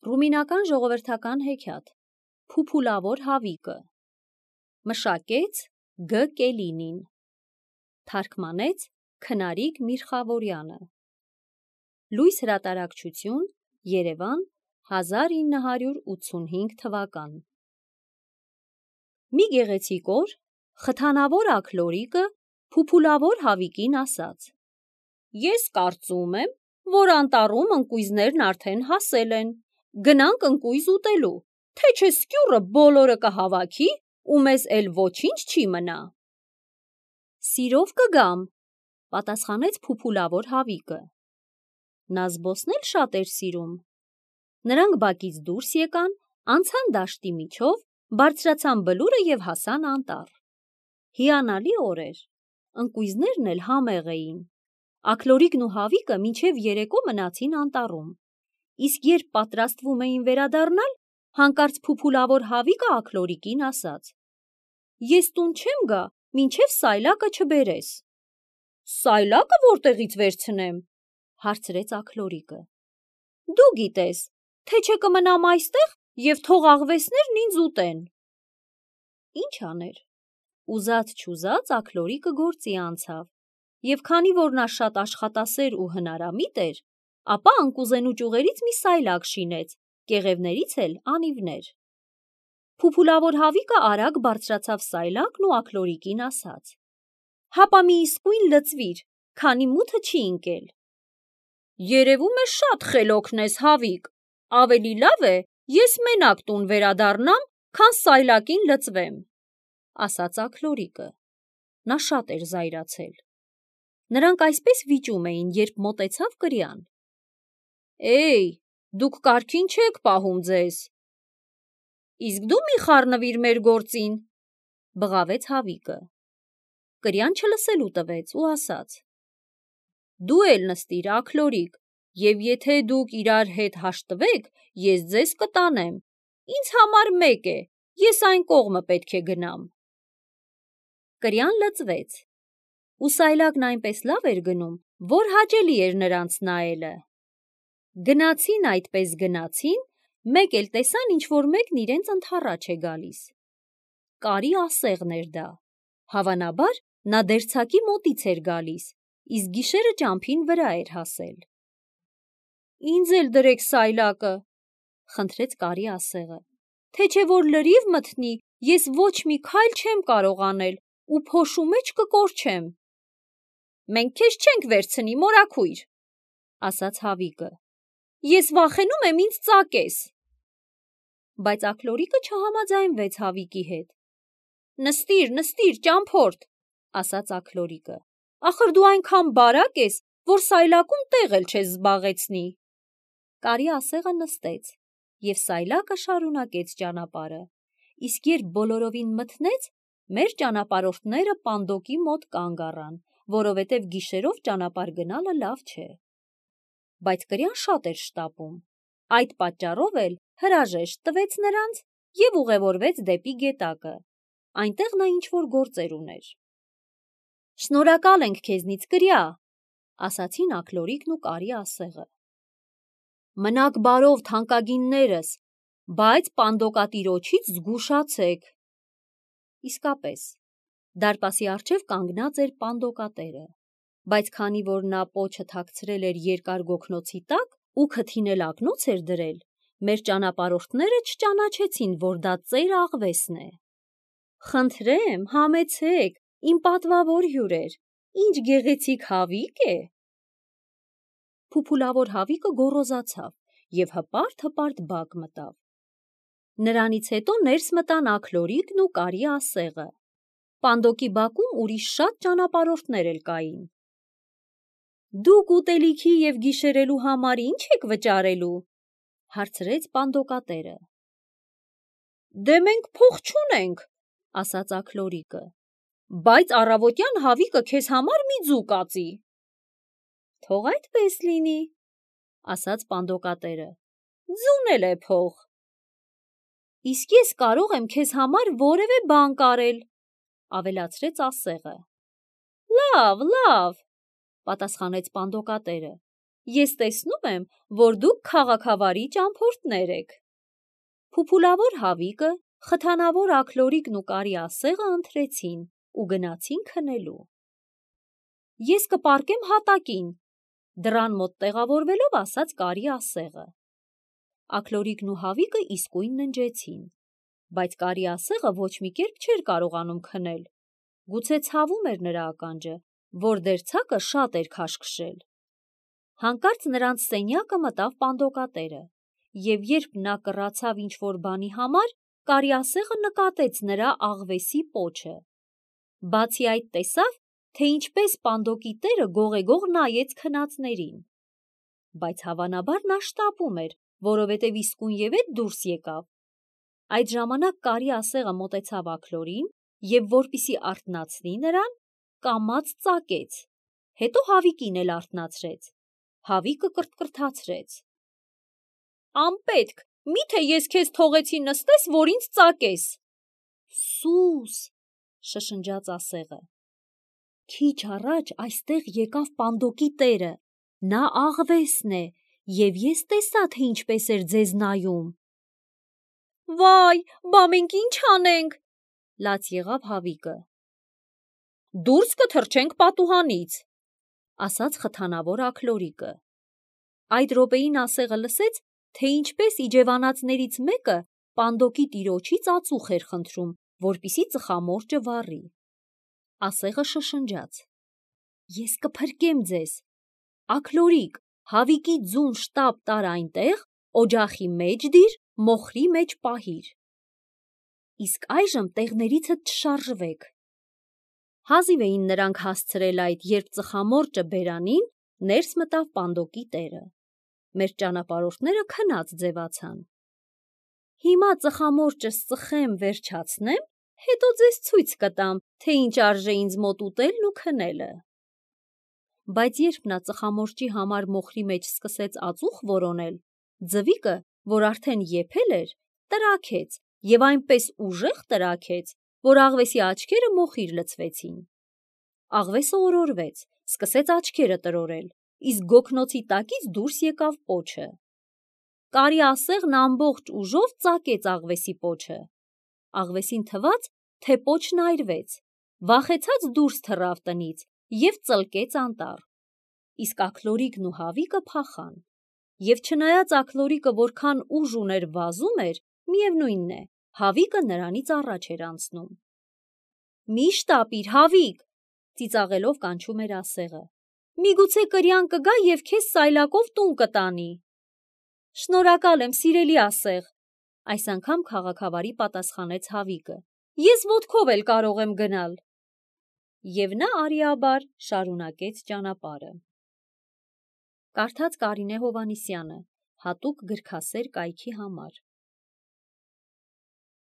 Ռումինական ժողովրդական հեքիաթ Փուփուլավոր հավիկը մշակեց Գ. Կելինին, թարգմանեց Քնարիկ Միրխավորյանը, լույս հրատարակչություն, Երևան, 1985 թվական։ Մի գեղեցիկ օր խթանավոր աքլորիկը փուփուլավոր հավիկին ասաց. «Ես կարծում եմ, որ անտառում ընկույզներն արդեն հասել են, գնանք ընկույզ ուտելու, թե չէ սկյուռը բոլորը կհավաքի ու մեզ էլ ոչինչ չի մնա»։ «Սիրով կգամ», պատասխանեց փուփուլավոր հավիկը։ Նա զբոսնել շատ էր սիրում։ Նրանք բակից դուրս եկան, անցան դաշտի միջով, բարձրացան բլուրը և հասան անտառ։ Հիանալի օր էր, ընկույզներն էլ համեղ էին։ Աքլորիկն ու հավիկը մինչև երեկո մնացին անտառում, իսկ երբ պատրաստվում էին վերադառնալ, հանկարծ փուփուլավոր հավիկը աքլորիկին ասաց. «Ես տուն չեմ գա, մինչև սայլակը չբերես»։ «Սայլակը որտեղից վերցնեմ», հարցրեց աքլորիկը։ «Դու գիտես, թե չէ կմնամ այստեղ և թող աղվեսներն ինձ ուտեն»։ Ինչ աներ, ուզած-չուզած աքլորիկը գործի անցավ, և քանի որ նա շատ աշխատասեր ու հնարամիտ էր, ապա ընկուզենու ճյուղերից մի սայլակ շինեց, կեղևներից էլ անիվներ։ Փուփուլավոր հավիկը արագ բարձրացավ սայլակն ու աքլորիկին ասաց. «Հապա մի իսկույն լցվիր, քանի մութը չի ընկել»։ «Երևում է շատ խելոքն ես, հավիկ, ավելի լավ է ես մենակ տուն վերադառնամ, քան սայլակին լցվեմ», ասաց աքլորիկը։ Նա շատ էր զայրացել։ Նրանք այսպես վիճում էին, երբ մոտեցավ կրյան։ «Էյ, դուք կարգին չեք պահում ձեզ»։ «Իսկ դու մի խառնվիր մեր գործին», բղավեց հավիկը։ Կրյան չլսելու տվեց ու ասաց. «Դու էլ նստիր, աքլորիկ, և եթե դուք իրար հետ հաշտվեք, ես ձեզ կտանեմ, ինձ համար մեկ է, ես այն կողմը պետք է գնամ»։ Կրյան լցվեց, ու սայլակն այնպես լավ էր գնում, որ հաճելի էր նրանց նայելը։ Գնացին այդպես գնացին, մեկ էլ տեսան ինչ-որ մեկն իրենց ընդառաջ է գալիս։ Կարի ասեղն էր դա, հավանաբար նա դերձակի մոտից էր գալիս, իսկ գիշերը ճամփին վրա էր հասել։ «Ինձ էլ դրեք սայլակը», խնդրեց կարի ասեղը, «թե չէ որ լրիվ մթնի, ես ոչ մի քայլ չեմ կարող անել ու փոշու մեջ կկորչեմ»։ «Մենք քեզ չենք վերցնի, մորաքույր», ասաց հավիկը, «ես վախենում եմ ինձ ծակես»։ Բայց աքլորիկը չհամաձայնվեց հավիկի հետ։ «Նստիր, նստիր, ճամփորդ», ասաց աքլորիկը, «ախր դու այնքան բարակ ես, որ սայլակում տեղ էլ չես զբաղեցնի»։ Կարի ասեղը նստեց, և սայլակը շարունակեց ճանապարհը, իսկ երբ բոլորովին մթնեց, մեր ճանապարհորդները պանդոկի մոտ կանգ առան, որովհետև գիշերով ճանապարհ գնալը լավ չէ։ Բայց կրյան շատ էր շտապում, այդ պատճառով էլ հրաժեշտ տվեց նրանց և ուղևորվեց դեպի գետակը, այնտեղ նա ինչ-որ գործեր ուներ։ «Շնորհակալ ենք քեզնից, կրյա», ասացին աքլորիկն ու կարի ասեղը։ «Մնաք բարով, թանկագիններս, բայց պանդոկատիրոջից զգուշացեք»։ Իսկապես, դարպասի առջև կանգնած էր պանդոկատերը, բայց քանի որ նա պոչը թաքցրել էր երկար գոգնոցի տակ ու քթին էլ ակնոց էր դրել, մեր ճանապարհորդները չճանաչեցին, որ դա ծեր աղվեսն է։ «Խնդրեմ, համեցեք, իմ պատվավոր հյուրեր, ինչ գեղեցիկ հավիկ է»։ Փուփուլավոր հավիկը գոռոզացավ և հպարտ-հպարտ բակ մտավ։ Նրանից հետո ներս մտան աքլորիկն ու կարի ասեղը։ Պանդոկի բակում ուրիշ շատ ճանապարհորդներ էլ կային։ «Դուք ուտելիքի և գիշերելու համար ի՞նչ եք վճարելու», հարցրեց պանդոկատերը։ «Դե մենք փող չունենք», ասաց աքլորիկը, «բայց առավոտյան հավիկը քեզ համար մի ձու կածի»։ «Թող այդպես լինի», ասաց պանդոկատերը, «ձուն էլ է փող»։ «Իսկ ես կարող եմ քեզ համար որևէ բան կարել», ավելացրեց ասեղը։ «Լավ, լավ», պատասխանեց պանդոկատերը, ես տեսնում եմ, որ դուք քաղաքավարի ճամփորդներ եք։ Փուփուլավոր Հավիկը, խթանավոր Աքլորիկն ու Կարի ասեղը ընթրեցին ու գնացին քնելու։ Ես կպառկեմ հատակին, դռան մոտ տեղավորվելով ասաց Կարի ասեղը։ Աքլորիկն ու Հավիկը իսկույն ննջեցին, բայց Կարի ասեղը ոչ մի կերպ չէր կարողանում քնել։ Գուցե ցավում էր նրա ականջը, որ դերձակը շատ էր քաշքշել։ Հանկարծ նրանց սենյակը մտավ պանդոկատերը, և երբ նա կռացավ ինչ-որ բանի համար, Կարի ասեղը նկատեց նրա աղվեսի պոչը։ Բացի այդ տեսավ, թե ինչպես պանդոկի տերը գողեգող նայեց քնածներին։ Բայց հավանաբար նա շտապում էր, որովհետև իսկույնևեթ դուրս եկավ։ Այդ ժամանակ Կարի ասեղը մոտեցավ Աքլորին և, որպեսզի արթնացնի նրան, կամաց ծակեց, հետո Հավիկին էլ արթնացրեց։ Հավիկը կրթկրթացրեց. «Անպետք, միթե ես քեզ թողեցի նստես, որ ինձ ծակես»։ Սուս, շշնջաց ասեղը։ Քիչ առաջ այստեղ եկավ պանդոկի տերը, նա աղվեսն է, և ես տեսա, թե ինչպես էր ձեզ նայում։ Վայ, բա մենք ինչ անենք, լաց եղավ Հավիկը։ Դուրս կթռչենք պատուհանից, ասաց խթանավոր Աքլորիկը։ Այդ րոպեին ասեղը լսեց, թե ինչպես իջևանածներից մեկը պանդոկի տիրոջից ածուխ էր խնդրում, որպեսզի ծխամորճը վառի։ Ասեղը շշնջաց. Ես կփրկեմ ձեզ։ Աքլորիկ, Հավիկի ձուն շտապ տար այնտեղ, օջախի մեջ դիր, մոխրի մեջ պահիր։ Իսկ այժմ տեղներիցդ չշարժվեք։ Հազիվ էին նրանք հասցրել այդ, երբ ծխամորճը բերանին, ներս մտավ պանդոկի տերը։ Մեր ճանապարհորդները քնած ձևացան։ Հիմա ծխամորճս ծխեմ, վերջացնեմ, հետո ձեզ ցույց կտամ, թե ինչ արժե ինձ մոտ ուտելն ու քնելը։ Բայց երբ նա ծխամորճի համար մոխրի մեջ սկսեց ածուխ որոնել, ձվիկը, որ արդեն եփել էր, տրաքեց և այնպես ուժեղ տրաքեց, որ աղվեսի աչքերը մոխիր լցվեցին։ Աղվեսը օրորվեց, սկսեց աչքերը տրորել, իսկ գոգնոցի տակից դուրս եկավ պոչը։ Կարի ասեղն ամբողջ ուժով ծակեց աղվեսի պոչը։ Աղվեսին թվաց, թե պոչն այրվեց, վախեցած դուրս թռավ տնից և ծլկեց անտառ։ Իսկ Աքլորիկն ու Հավիկը փախան։ Եվ չնայած Աքլորիկը որքան ուժ ուներ վազում էր, միևնույն է, Հավիկը նրանից առաջ էր անցնում։ Մի շտապիր, Հավիկ, ծիծաղելով կանչում էր ասեղը։ Միգուցե կրյան կգա և քեզ սայլակով տուն կտանի։ Շնորհակալ եմ, սիրելի ասեղ, այս անգամ քաղաքավարի պատասխանեց Հավիկը։ Ես ոտքով էլ կարող եմ գնալ։ Եվ նա արիաբար շարունակեց ճանապարհը։ Կարդաց Կարինե Հովհաննիսյանը, հատուկ գրքասեր կայքի համար։